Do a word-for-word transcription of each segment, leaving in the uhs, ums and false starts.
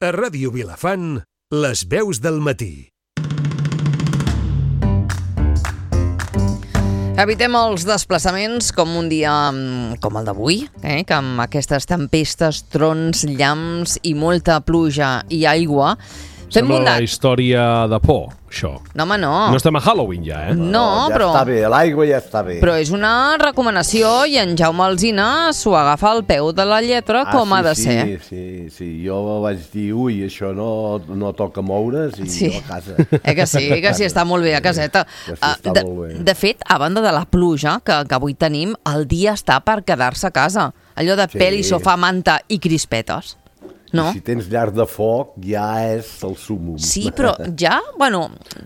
A Ràdio Vilafant, les veus del matí. Evitem els desplaçaments com un dia com el d'avui, eh? que amb aquestes tempestes, trons, llamps i molta pluja i aigua... Fem Sembla bondat. una història de por, això. No, home, no. No estem a Halloween ja, eh? No, No, ja però... està bé, l'aigua ja està bé. Però és una recomanació i en Jaume Alsina s'ho agafa al peu de la lletra ah, com sí, ha de sí, ser. Sí, sí, sí. Jo vaig dir, ui, això no, no toca moure's i Sí. jo a casa. Eh que sí, que sí, està molt bé a caseta. Que sí, està de, molt bé. de fet, a banda de la pluja que, que avui tenim, el dia està per quedar-se a casa. Allò de Sí. pèl i sofà, manta i crispetes. No? Si tens llar de foc, ja és el súmum. Sí, però ja, bueno,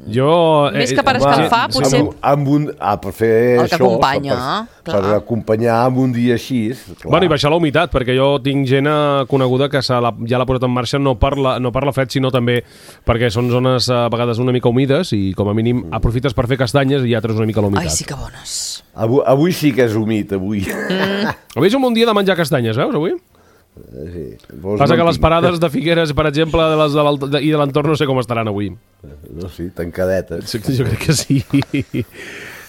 Jo... més que per escalfar, Amb, potser... amb un, ah, per fer El que això, acompanya, per, clar. per acompanyar amb un dia així. Clar. Bueno, i baixar la humitat, perquè jo tinc gent coneguda que se la, ja l'ha posat en marxa no per, la, no per la fred, sinó també perquè són zones a vegades una mica humides i com a mínim aprofites per fer castanyes i ja treus una mica la humitat. Ai, sí que bones. Avui, avui sí que és humit, avui. Mm. Avui és un bon dia de menjar castanyes, veus, avui? Sí. Vols Passa que no les tinc. parades de Figueres, per exemple, de les de l'alt- de, i de l'entorn no sé com estaran avui. No, sí, tancadetes. Sí, jo crec que sí.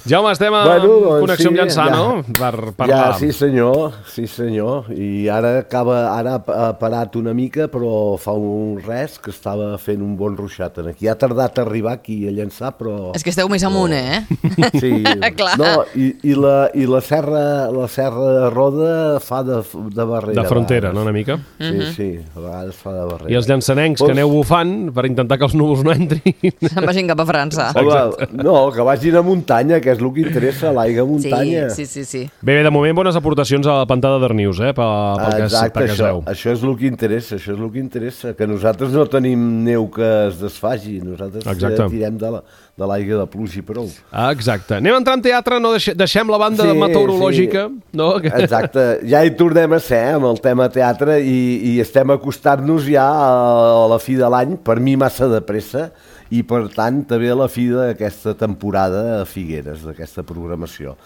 Jaume, estem a Bueno, doncs connexió amb sí, Llançà, ja. no? Per Ja, parlar. sí senyor, sí senyor. I ara acaba, ara ha parat una mica, però fa un res que estava fent un bon ruixat aquí. Ha tardat a arribar aquí a Llançà, però... És que esteu més amunt, eh? Sí, Clar. no, i, i, la, i la serra la serra de Roda fa de, de barrera. De frontera, a no, vegades. una mica? Sí, sí, a vegades fa de barrera. I els llançanencs que Vols- aneu bufant per intentar que els núvols no entrin. Se'n vagin cap a França. Home, no, que vagin a muntanya, que és el que interessa, l'aigua a Sí, muntanya. sí, sí, sí. Bé, bé, de moment bones aportacions a la pantà de Darnius, eh? Pel, pel que, es- Exacte, pel que es això, veu. això és el que interessa, això és el que interessa, que nosaltres no tenim neu que es desfagi, nosaltres Exacte. eh, tirem de la- de l'aigua de pluja i prou. Ah, exacte. Anem a entrar en teatre, no deixe, deixem la banda Sí, meteorològica. sí. No? Que- Exacte, ja hi tornem a ser amb el tema teatre i, i estem acostant-nos ja a la fi de l'any, per mi massa de pressa, i per tant també a la fi d'aquesta temporada a Figueres, d'aquesta programació.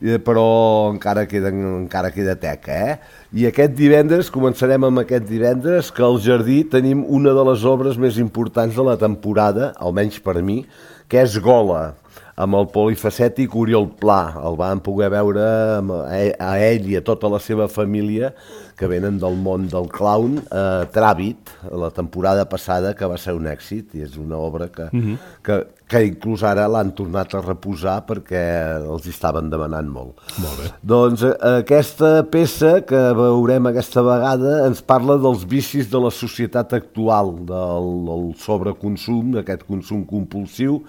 Eh, Però encara queda, encara queda teca, eh? I aquest divendres, començarem amb aquest divendres, que al Jardí tenim una de les obres més importants de la temporada, almenys per mi, que és Gola, amb el polifacètic Oriol Pla. El vam poder veure amb- a ell i a tota la seva família, que venen del món del clown, a Tràbit, la temporada passada, que va ser un èxit, i és una obra que, Mhm. que, que inclús ara l'han tornat a reposar perquè els hi estaven demanant molt. Molt bé. Doncs eh, aquesta peça que veurem aquesta vegada ens parla dels vicis de la societat actual, del, del sobreconsum, d'aquest consum compulsiu,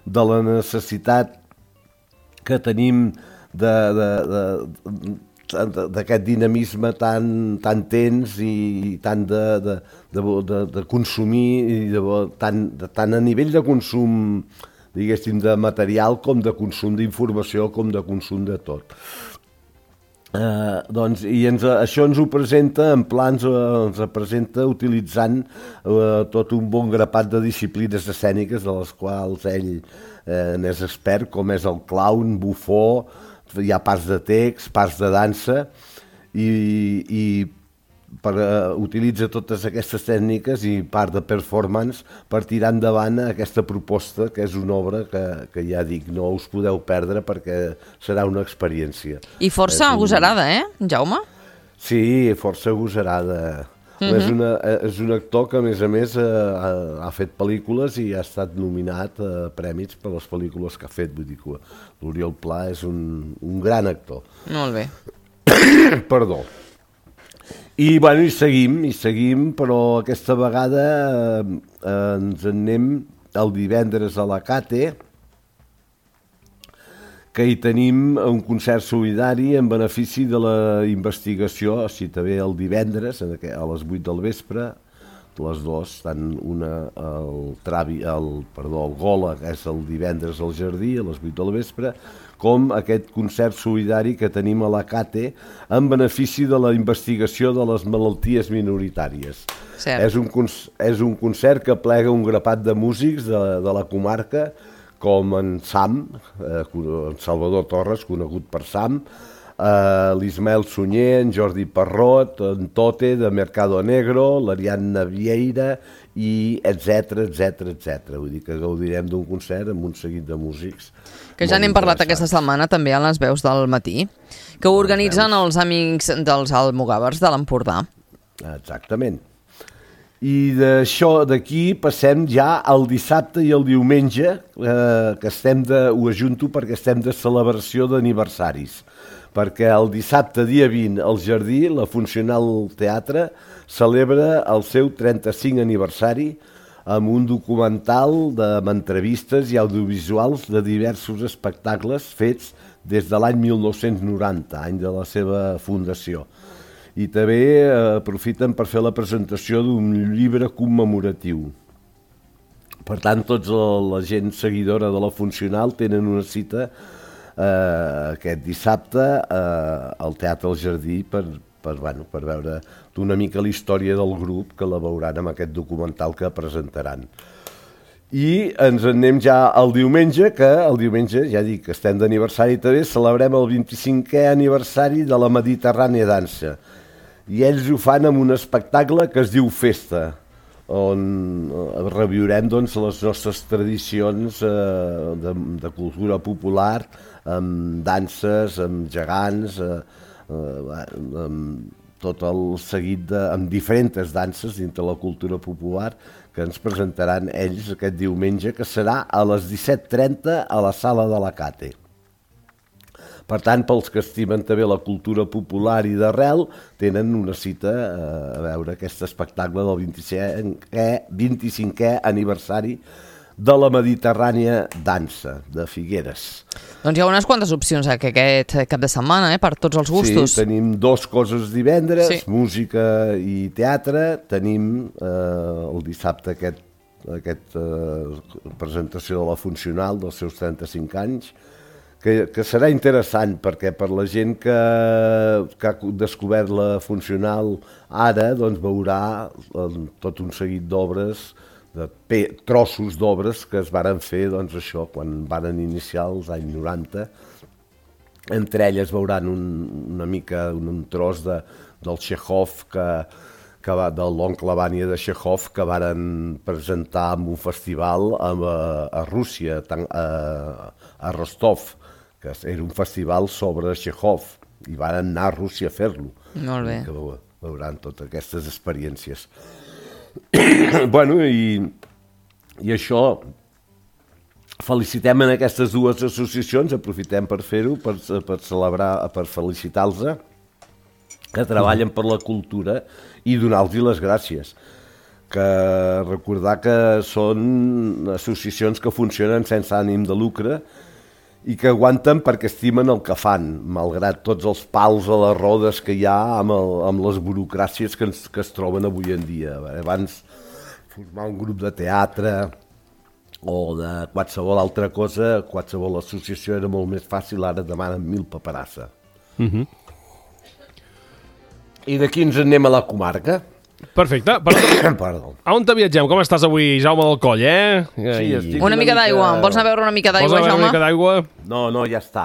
de la necessitat que tenim de, de, de, d'aquest dinamisme tan, tan tens i tant de, de, de, de, de consumir, i de, tant, de, tant a nivell de consum, diguéssim, de material com de consum d'informació, com de consum de tot. Uh, doncs, i ens, això ens ho presenta en plans, uh, ens ho presenta utilitzant uh, tot un bon grapat de disciplines escèniques de les quals ell uh, n'és expert, com és el clown, bufó, hi ha parts de text, parts de dansa, i, i per, uh, utilitza totes aquestes tècniques i part de performance per tirar endavant aquesta proposta, que és una obra que, que ja dic, no us podeu perdre perquè serà una experiència. I força És un- agosarada, eh, Jaume? Sí, força agosarada. Mm -hmm. és, una, és un actor que, a més a més, ha, ha fet pel·lícules i ha estat nominat a prèmits per les pel·lícules que ha fet. Vull dir que l'Oriol Pla és un, un gran actor. Molt bé. Perdó. I, bueno, i seguim, i seguim, però aquesta vegada eh, eh, ens en anem el divendres a la Cate, que hi tenim un concert solidari en benefici de la investigació, si també el divendres, a les vuit del vespre, les dues, tant una el, travi, el, perdó, el Gola, que és el divendres al Jardí, a les vuit del vespre, com aquest concert solidari que tenim a la Cate en benefici de la investigació de les malalties minoritàries. Cert. És un, és un concert que plega un grapat de músics de, de la comarca, com en Sam, eh, en Salvador Torres, conegut per Sam, Uh, l'Ismael Sunyer, en Jordi Parrot, en Tote, de Mercado Negro, l'Ariadna Vieira, i etcètera, etcètera, etcètera. Vull dir que gaudirem d'un concert amb un seguit de músics. Que ja n'hem parlat aquesta setmana també a les veus del matí, que organitzen els amics dels almogàvers de l'Empordà. Exactament. I d'això d'aquí passem ja al dissabte i al diumenge, eh, que estem de, ho ajunto perquè estem de celebració d'aniversaris. Perquè el dissabte, dia vint, al Jardí, la Funcional Teatre celebra el seu trenta-cinc aniversari amb un documental de, amb entrevistes i audiovisuals de diversos espectacles fets des de l'any mil nou-cents noranta, any de la seva fundació. I també eh, aprofiten per fer la presentació d'un llibre commemoratiu. Per tant, tots la gent seguidora de la Funcional tenen una cita Uh, aquest dissabte uh, al Teatre del Jardí per, per, bueno, per veure una mica la història del grup, que la veuran amb aquest documental que presentaran. I ens en anem ja al diumenge, que el diumenge, ja dic que estem d'aniversari també, celebrem el vint-i-cinquè aniversari de la Mediterrània Dansa. I ells ho fan amb un espectacle que es diu Festa, on reviurem doncs, les nostres tradicions eh, de, de cultura popular, amb danses, amb gegants, eh, eh, amb tot el seguit de, amb diferents danses dintre la cultura popular que ens presentaran ells aquest diumenge, que serà a les disset trenta a la Sala de la Cate. Per tant, pels que estimen també la cultura popular i d'arrel, tenen una cita a veure aquest espectacle del vint-i-cinquè aniversari de la Mediterrània Dansa, de Figueres. Doncs hi ha unes quantes opcions eh, aquest cap de setmana, eh, per tots els gustos. Sí, tenim dos coses divendres, sí. Música i teatre, tenim eh, el dissabte aquest, aquest eh, presentació de la Funcional dels seus trenta-cinc anys, Que, que serà interessant perquè per la gent que, que ha descobert la Funcional ara, doncs veurà tot un seguit d'obres, de pe, trossos d'obres que es varen fer, doncs això, quan varen iniciar els anys noranta. Entre elles veuran un, una mica un, un tros de, del Txékhov, que, que va, de l'oncle Vanya de Txékhov, que varen presentar en un festival a, a Rússia, a, a Rostov, que era un festival sobre Txékhov, i van anar a Rússia a fer-lo. Molt bé. Que veuran totes aquestes experiències. Bueno, i, i això, felicitem en aquestes dues associacions, aprofitem per fer-ho, per, per celebrar, per felicitar-los, que treballen per la cultura, i donar-los les gràcies. Que recordar que són associacions que funcionen sense ànim de lucre, i que aguanten perquè estimen el que fan, malgrat tots els pals a les rodes que hi ha amb, el, amb les burocràcies que, ens, que es troben avui en dia. Abans, formar un grup de teatre o de qualsevol altra cosa, qualsevol associació era molt més fàcil, ara demanen mil paperassa. Uh-huh. I d'aquí ens anem a la comarca. Perfecte. Perdó. A on te viatgem? Com estàs avui, Jaume del Coll, eh? Sí, estic una, una mica d'aigua. Vols anar a veure una mica d'aigua, Jaume? Vols anar a veure una mica d'aigua? No, no, ja està.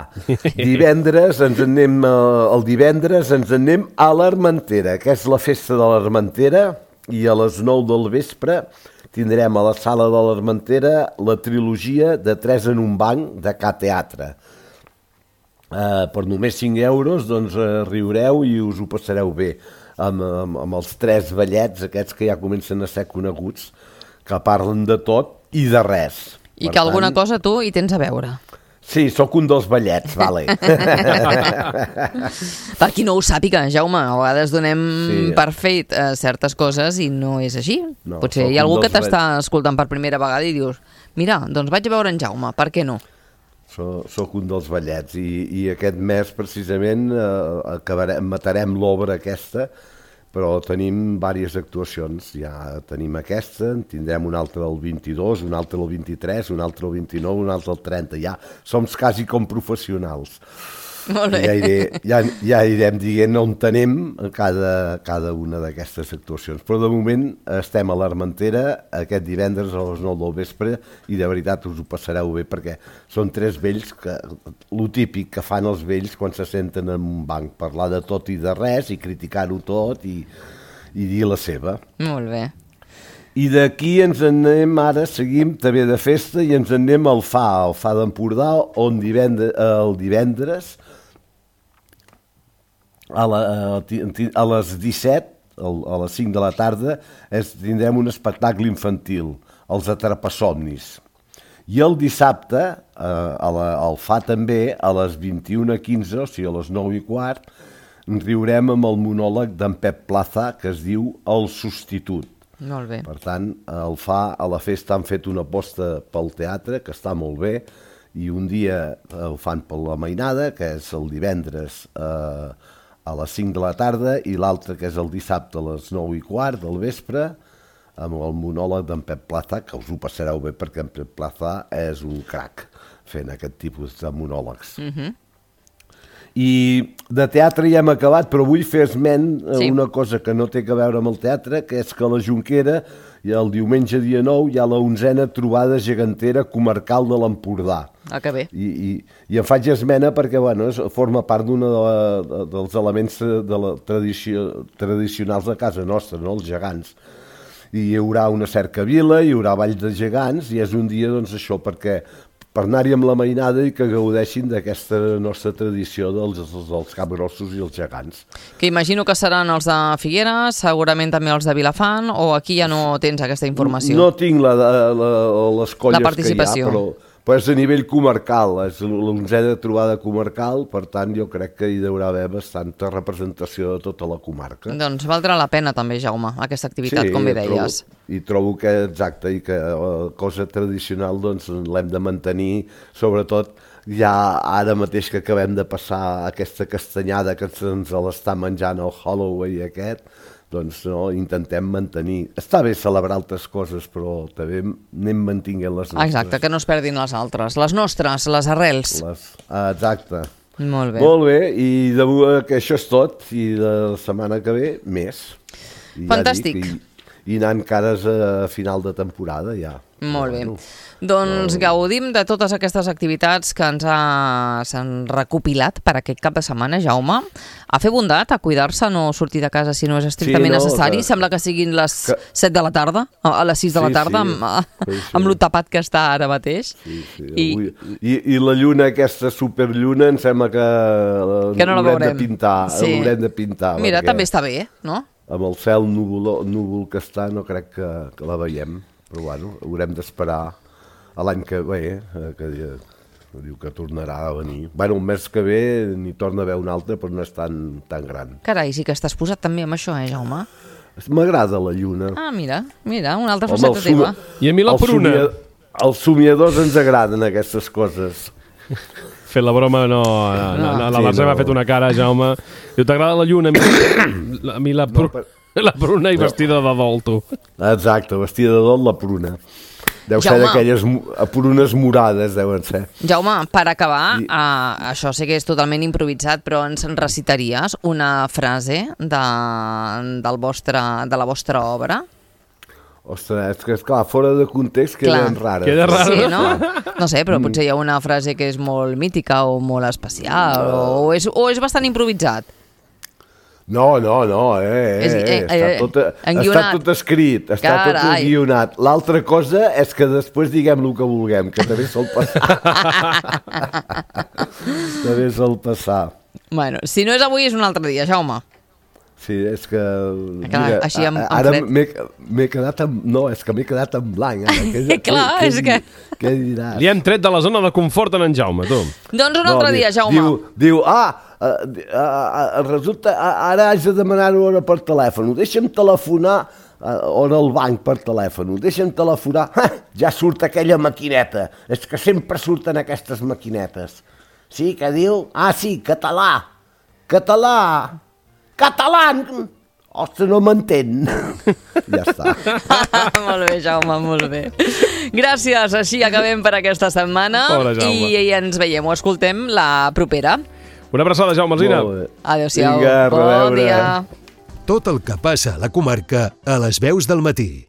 Divendres ens anem, el divendres ens anem a l'Armentera, que és la festa de l'Armentera, i a les nou del vespre tindrem a la sala de l'Armentera la trilogia de Tres en un banc de Ca Teatre. Uh, per només cinc euros doncs uh, riureu i us ho passareu bé. Amb, amb, amb els tres ballets aquests que ja comencen a ser coneguts, que parlen de tot i de res. I per que tant, alguna cosa tu hi tens a veure. Sí, sóc un dels ballets, vale. Per qui no ho sàpiga, Jaume, a vegades donem sí. per fet eh, certes coses i no és així. No, potser hi ha algú que t'està escoltant per primera vegada i dius, mira, doncs vaig a veure en Jaume, per què no? So, soc un dels ballets i, i aquest mes precisament eh, acabarem, matarem l'obra aquesta, però tenim diverses actuacions. Ja tenim aquesta, en tindrem una altra el vint-i-dos, una altra el vint-i-tres, una altra el vint-i-nou, una altra el trenta. Ja som quasi com professionals. Molt bé. Ja, iré, ja, ja irem dient on tenem cada, cada una d'aquestes actuacions. Però de moment estem a l'Armentera aquest divendres a les nou del vespre i de veritat us ho passareu bé perquè són tres vells, que lo típic que fan els vells quan se senten en un banc, parlar de tot i de res i criticar-ho tot i, i dir la seva. Molt bé. I d'aquí ens anem ara, seguim també de festa i ens anem al F A, al F A d'Empordà, on divendres, el divendres a, la, a les disset, a les cinc de la tarda, es, tindrem un espectacle infantil, els Atrapasomnis. I el dissabte, a la, al F A també, a les vint-i-una quinze, o sigui a les nou i quart, ens riurem amb el monòleg d'en Pep Plaza, que es diu El substitut. Molt bé. Per tant, el F A, a la festa han fet una aposta pel teatre, que està molt bé, i un dia ho fan per la mainada, que és el divendres eh, a les cinc de la tarda, i l'altre, que és el dissabte a les nou i quart del vespre, amb el monòleg d'en Pep Plaza, que us ho passareu bé, perquè en Pep Plaza és un crac fent aquest tipus de monòlegs. Mhm. I de teatre ja hem acabat, però vull fer esment a sí. una cosa que no té a veure amb el teatre, que és que a la Jonquera, el diumenge dia nou, hi ha la onzena trobada gegantera comarcal de l'Empordà. Ah, que bé. I, i, i em faig esmena perquè bueno, forma part d'un de de, dels elements de la tradició, tradicionals de casa nostra, no? Els gegants. I hi haurà una cercavila, hi haurà ball de gegants, i és un dia, doncs, això, perquè per anar-hi amb la mainada i que gaudeixin d'aquesta nostra tradició dels, dels capgrossos i els gegants. Que imagino que seran els de Figueres, segurament també els de Vilafant, o aquí ja no tens aquesta informació? No tinc la, la, la, les colles la que hi ha, però, però és a nivell comarcal, és l'onzena trobada comarcal, per tant jo crec que hi haurà haver bastanta representació de tota la comarca. Doncs valdrà la pena també, Jaume, aquesta activitat, sí, com bé deies. Trobo, i trobo que exacte, i que la cosa tradicional doncs l'hem de mantenir, sobretot ja ara mateix que acabem de passar aquesta castanyada que ens l'està menjant el Halloween aquest, doncs no, intentem mantenir. Està bé celebrar altres coses, però també anem mantinguent les nostres. Exacte, que no es perdin les altres. Les nostres, les arrels. Les... Ah, exacte. Molt bé. Molt bé, i de que això és tot, i de la setmana que ve, més. I fantàstic. Ja dic, i, i anant cares a final de temporada, ja. Molt bé. Doncs gaudim de totes aquestes activitats que ens ha, s'han recopilat per aquest cap de setmana, Jaume. A fer bondat, a cuidar-se, no sortir de casa si no és estrictament sí, no, necessari. Que... Sembla que siguin les que... set de la tarda, a les sis de la tarda, sí, sí. amb, sí, sí. amb lo tapat que està ara mateix. Sí, sí. I... I, I la lluna, aquesta superlluna, em sembla que, que no l'haurem de pintar. Sí. L'haurem de pintar. Mira, també està bé, no? Amb el cel núvol, núvol que està, no crec que, que la veiem. Però bueno, haurem d'esperar a l'any que ve, que diu que tornarà a venir. Bueno, un mes que ve n'hi torna a haver un altre, però no és tan, tan gran. Carai, sí que estàs posat també amb això, eh, Jaume? M'agrada la lluna. Ah, mira, mira, una altra faceta teva. I a mi la pruna. Els somiadors ens agraden aquestes coses. Fer la broma, no, no, no, no la Mercè sí, no. m'ha fet una cara, Jaume. Diu, t'agrada la lluna? A mi, a mi la, pr... no, per... la pruna i no. vestida de dol, tu. Exacte, vestida de dol, la pruna. Deu Jaume, ser d'aquelles prunes morades, deuen ser. Jaume, per acabar, I... uh, això sé que és totalment improvisat, però ens recitaries una frase de, del vostre, de la vostra obra? Ostres, és que esclar, fora de context queden rares. Queda rara. Sí, no? No sé, però potser hi ha una frase que és molt mítica o molt especial, no. o, és, o és bastant improvisat. No, no, no, eh, eh, eh, està, tot, està tot escrit, està Carai. tot guionat. L'altra cosa és que després diguem el que vulguem, que també sol passar. també sol passar. Bueno, si no és avui és un altre dia, Jaume. Sí, és que... Clar, mira, així amb, amb ara m'he quedat amb... No, és que m'he quedat en blanc. Ara. Que, Clar, que, és que... Què diràs? Li hem tret de la zona de confort en en Jaume, tu. Doncs un altre no, dia, Jaume. Diu, diu ah, uh, uh, uh, resulta, uh, ara haig de demanar-ho ara per telèfon. Deixa'm telefonar, uh, o en el banc per telèfon. Deixa'm telefonar. Ha, ja surt aquella maquineta. És que sempre surten aquestes maquinetes. Sí, què diu? Ah, sí, català. Català. Català! Ostres, no m'entén. Ja està. Molt bé, Jaume, molt bé. Gràcies, així acabem per aquesta setmana. Pobre Jaume. I ens veiem o escoltem la propera. Una abraçada, Jaume Alsina. Adéu-siau. Vinga, bon reveure. dia. Tot el que passa a la comarca a les veus del matí.